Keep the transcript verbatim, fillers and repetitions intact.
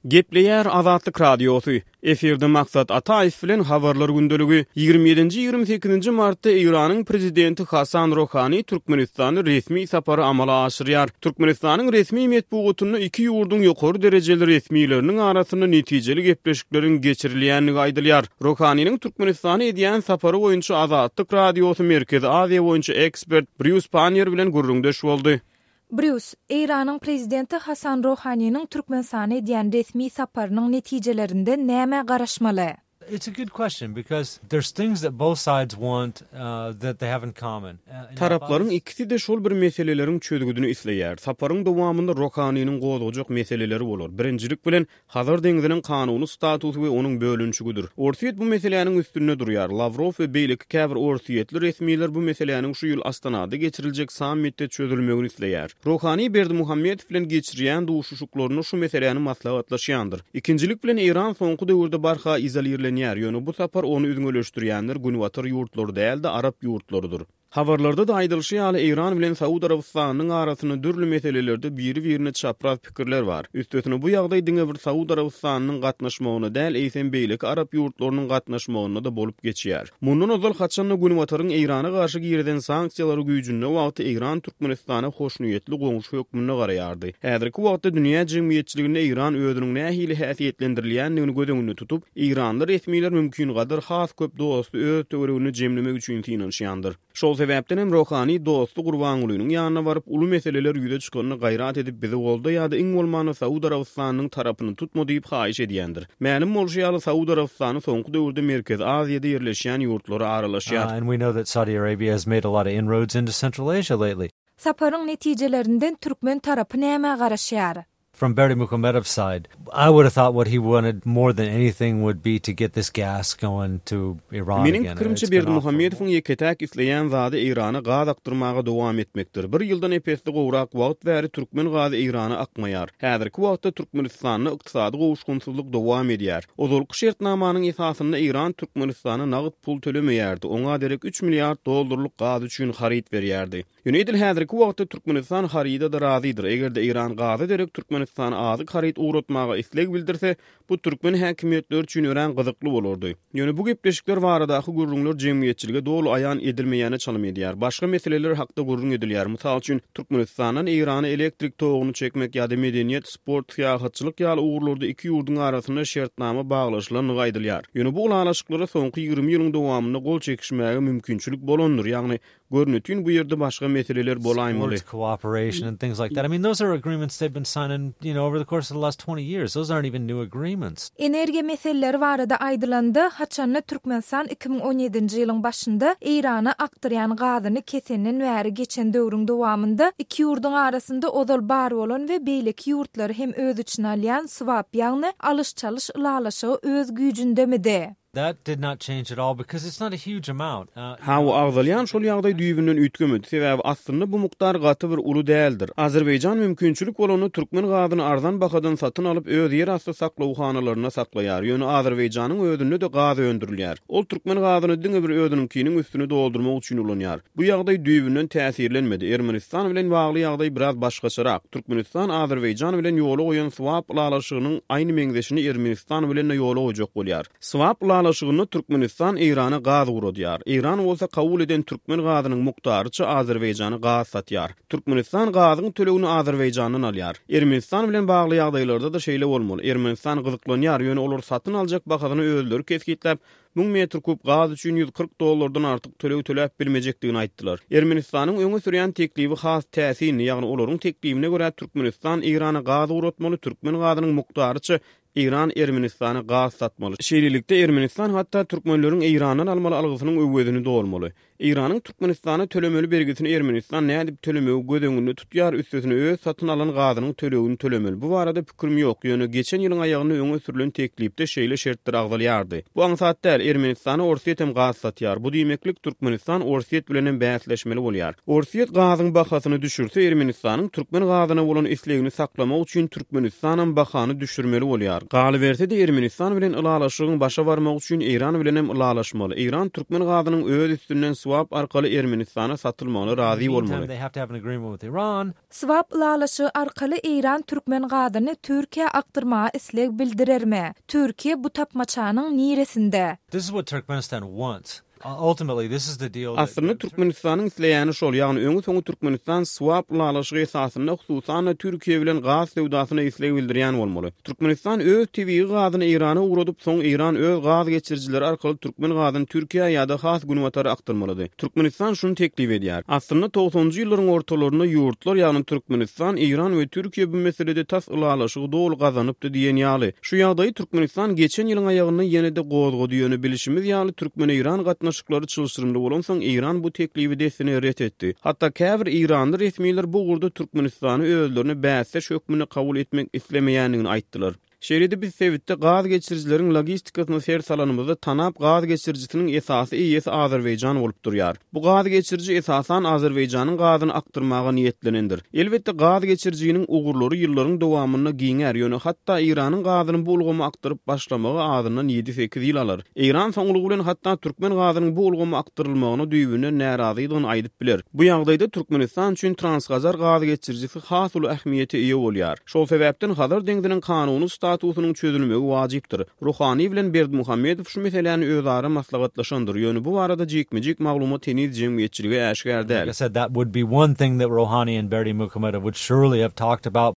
Gepleýär Azatlyk Radiosy. Efirde Maksat Ataýew bilen Habarlar gündeligi. Ýigrimi ýedinji, ýigrimi sekizinji martda Eýranyň prezidenti Hasan Rohani Türkmenistana resmi sapary amala aşyrýar. Türkmenistanyň resmi metbugatynda iki ýurduň ýokary derejeli resmileriniň arasynda netijeli gepleşikleriň geçirilýändigi aýdylýar. Rohaniniň Türkmenistana edýän sapary boýunça Azatlyk Radiosy Merkezi Aziýa boýunça ekspert Brýus Panniýer bilen gürrüňdeş boldy. Brýus, Eýranyň prezidenti Hasan Rohaniniň Türkmenistana edýän resmi saparynyň netijelerinden nämä garaşmaly? It's a good question because there's things that both sides want uh, that they have in common. Taraplaryň ikisi-de şol bir meseleleriň çözgüdini isleýär. Saparyň dowamynda Rohaniniň gozgajak meseleleri bolar. Birinjilik bilen Hazar deňziniň kanuny statusy we onuň bölünişigidir. Orsýet bu meseläniň üstünde durýar. Lawrow we beýleki käbir orsýetli resmiler bu meseläniň şu ýyl Astanada geçiriljek sammitde çözülmegini isleýär. Rohani Berdimuhamedow bilen geçirýän duşuşyklarynda şu meseläni maslahatlaşýandyr. Ikinjilik bilen Eýran soňky döwürde barha izolirlenýär, ýöne bu sapar ony üzňeleşdirýänler Günbatar ýurtlary däl-de arap ýurtlarydyr. Habarlarda-da aýdylyşy ýaly, Eýran bilen Saud Arabystanynyň arasynda dürli meselelerde biri-birine çapraz pikirler bar. Üstesine bu ýagdaý diňe bir Saud Arabystanynyň gatnaşmagynda däl, eýsem beýleki arap ýurtlarynyň gatnaşmagynda-da bolup geçýär. Mundan ozal haçanda Günbataryň Eýrana garşy girizen sanksiýalary güýjünde wagty Eýran Türkmenistana hoşniýetli goňşy hökmünde garaýardy. Häzirki wagtda dünýä jemgyýetçiliginde Eýran özüniň nähili häsiýetlendirilýändigini göz öňünde tutup, eýranly resmiler mümkingadar has köp dosty öz töwereginde jemlemek üçin synanyşýandyr. Şol sebäpden hem Rohani dosty Gurbangulynyň ýanyna baryp, uly meseleler ýüze çykanda gaýrat edip bizi golda ýa-da iň bolmanda Saud Arabystanynyň tarapyny tutma diýip haýyş edýändir. Mälim bolşy ýaly, Saud Arabystany soňky döwürde Merkezi Aziýada ýerleşýän ýurtlara aralaşýar. Uh, and we know that Saudi Arabia has made a lot of inroads into Central Asia lately. Saparyň netijelerinden türkmen tarapy nämä garaşýar? From Berdimuhamedov's side, I would have thought what he wanted more than anything would be to get this gas going to Iran Meniň again. pikirimçe It's been off for Berdimuhamedowyň ýeke-täk isleýän zady Eýrana gaz akdyrmaga dowam etmekdir. Bir ýyldan ep-esli gowrak wagt bäri türkmen gazy Eýrana akmaýar. Häzirki wagtda Türkmenistanda ykdysady gowuşgynsyzlyk dowam edýär. Ozalky şertnamanyň esasynda Eýran Türkmenistana nagt pul tölemeýärdi. Oňa derek üç milliard dollarlyk gaz üçin haryt berýärdi. Ýöne edil häzirki wagtda Türkmenistan haryda-da razydyr. Eger-de Eýran gaza derek Türkmenistana azyk haryt ugratmaga isleg bildirse, bu türkmen häkimiýetleri üçin örän gyzykly bolardy. Ýöne bu gepleşikler baradaky gürrüňler jemgyýetçilige doly aýan edilmeýäne çalym edýär. Başga meseleler hakda gürrüň edilýär. Mysal üçin, Türkmenistandan Eýrana elektrik toguny çekmek ýa-da medeniýet, sport, syýahatçylyk ýaly ugurlarda iki ýurduň arasynda şertnama baglaşylandygy aýdylýar. Ýöne bu ylalaşyklara soňky ýigrimi ýylyň dowamynda gol çekişmäge mümkinçilik bolandyr. Ýagny görnetin bu ýerde başga meseleler bolaýmaly. Sports cooperation and things like that. I mean, those are agreements they've been signing, you know, over the course of the last twenty years. Those aren't even new agreements. Energiýa meseleleri barada aýdylanda, haçanda Türkmenistan iki müň on ýedinji ýylyň başynda Eýrana akdyrýan gazyny kesenden bäri geçen döwrüň dowamynda iki ýurduň arasynda ozal bar bolan we beýleki ýurtlary hem öz içine alýan swap, ýagny alyş-çalyş ylalaşygy öz güýjündemidi? That did not change at all because it's not a huge amount. Uh, Hawa, agzalýan şol ýagdaý düýbünden üýtgemedi. Sebäbi aslynda bu mukdar gaty bir uly däldir. Azerbaýjan mümkinçilik bolanda türkmen gazyny arzan bahadan satyn alyp, öz ýerasty saklawhanalarynda saklaýar. Ýöne Azerbaýjanyň özünde-de gaz öndürilýär. Ol türkmen gazyny diňe bir özüniňkiniň üstüni doldurmak üçin ulanýar. Bu ýagdaý düýbünden täsirlenmedi. Ermenistan bilen bagly ýagdaý biraz başgaçarak. Türkmenistan Azerbaýjan bilen ýola goýan swap ylalaşygynyň aýny meňzeşini Ermenistan bilen-de ýola goýjak bolýar. Swap ylalaşygynda Türkmenistan Eýrana gaz ugradýar. Eýran bolsa kabul eden türkmen gazynyň mukdaryça Azerbaýjana gaz satýar. Türkmenistan gazyň tölegini Azerbaýjandan alýar. Ermenistan bilen bagly ýagdaýlarda-da şeýle bolmaly. Ermenistan gyzyklanýar, ýöne olar satyn aljak bahasyny özleri kesgitläp, müň metr kub gaz üçin ýüz kyrk dollardan artyk töleg töläp bilmejekdigini aýtdylar. Ermenistanyň öňe sürýän teklibi has täsinli, ýagny olaryň teklibine görä Türkmenistan Eýrana gaz ugratmaly, türkmen gazynyň mukdaryça Eýran Ermenistana gaz satmaly. Şeýlelikde Ermenistan hatda türkmenleriň Eýrandan almaly algysynyň öwezini dolmaly. Eýranyň Türkmenistana tölemeli bergisini Ermenistan nädip tölemegi göz öňünde tutýar, üstesine öz satyn alan gazynyň tölegini tölemeli. Bu barada pikirim ýok, ýöne geçen ýylyň aýagynda öňe sürülen teklipde şeýle şertler agzalýardy. Bu aňsat däl. Ermenistana Orsýet hem gaz satýar. Bu diýmeklik Türkmenistan Orsýet bilen hem bäsleşmeli bolýar. Orsýet gazyň bahasyny düşürse Ermenistanyň türkmen gazyna bolan islegini saklamak üçin Türkmenistan hem bahany düşürmeli bolýar. Galyberse-de Ermenistan bilen ylalaşygyň başa barmak üçin Eýran bilen hem ylalaşmaly. Eýran türkmen gazynyň öz üstünden swap arkaly Ermenistana satylmagyna razy bolmaly. They have to have an agreement with Iran. Swap ylalaşygy arkaly Eýran türkmen gazyny Türkiýä akdyrmaga isleg bildirermi? Türkiýe bu tapmaçanyň niresinde? This is what Turkmenistan wants. Uh, ultimately, this is the deal. that- Aslynda Türkmenistanyň isleýäni şol, ýagny öňi soňy Türkmenistan swap ylalaşygy esasynda hususan Türkiýe bilen gaz söwdasyna isleg bildirýän bolmaly. Türkmenistan öz tebigy gazyny Eýrana ugradyp, soň Eýran öz gaz geçirijileri arkaly türkmen gazyny Türkiýä ýa-da has günbatara akdyrmalydy. Türkmenistan şuny teklip edýär. Aslynda togsanynjy ýyllaryň ortalarynda ýurtlar, ýagny Türkmenistan, Eýran we Türkiýe bu meselede tas ylalaşygy doly gazanypdy diýen ýaly. Şu ýagdaýy Türkmenistan geçen ýylyň aýagynda ýene-de gozgady ýöne bilişimiz ýaly Türkmen-Eýran gatnaşyklary çylşyrymly bolansoň Eýran bu teklibi dessine ret etdi. Hatda käbir Eýranly resmiler bu ugurda Türkmenistany özlerine bäsdeş hökmünde kabul etmek islemeýändigini aýtdylar. Şeýle-de biz sebitde gaz geçirijileriň logistikasyna ser salanymyzda Tanap gaz geçirijisiniň esasy eýesi Azerbaýjan bolup durýar. Bu gaz geçiriji esasan Azerbaýjanyň gazyny akdyrmaga niýetlenendir. Elbetde gaz geçirijiniň ugurlary ýyllaryň dowamynda giňär, ýöne hatda Eýranyň gazyny bu ulgama akdyryp başlamagy azyndan ýedi-sekiz ýyl alar. Eýran soňlugy bilen hatda türkmen gazynyň bu ulgama akdyrylmagyna düýbünden närazydygyny aýdyp biler. Bu ýagdaýda Türkmenistan üçin Transhazar gaz geçirijisi has uly ähmiýete eýe bolýar. Şol sebäpden Hazar deňziniň kanuny statusynyň çözülmegi wajypdyr. Ruhani bilen Berdimuhamedow şu meseläni özara maslahatlaşandyr. Ýöne bu barada jikme-jik maglumat heniz jemgyýetçilige äşgär däl. Like I said, that would be one thing that Rouhani and Berdimuhamedow would surely have talked about.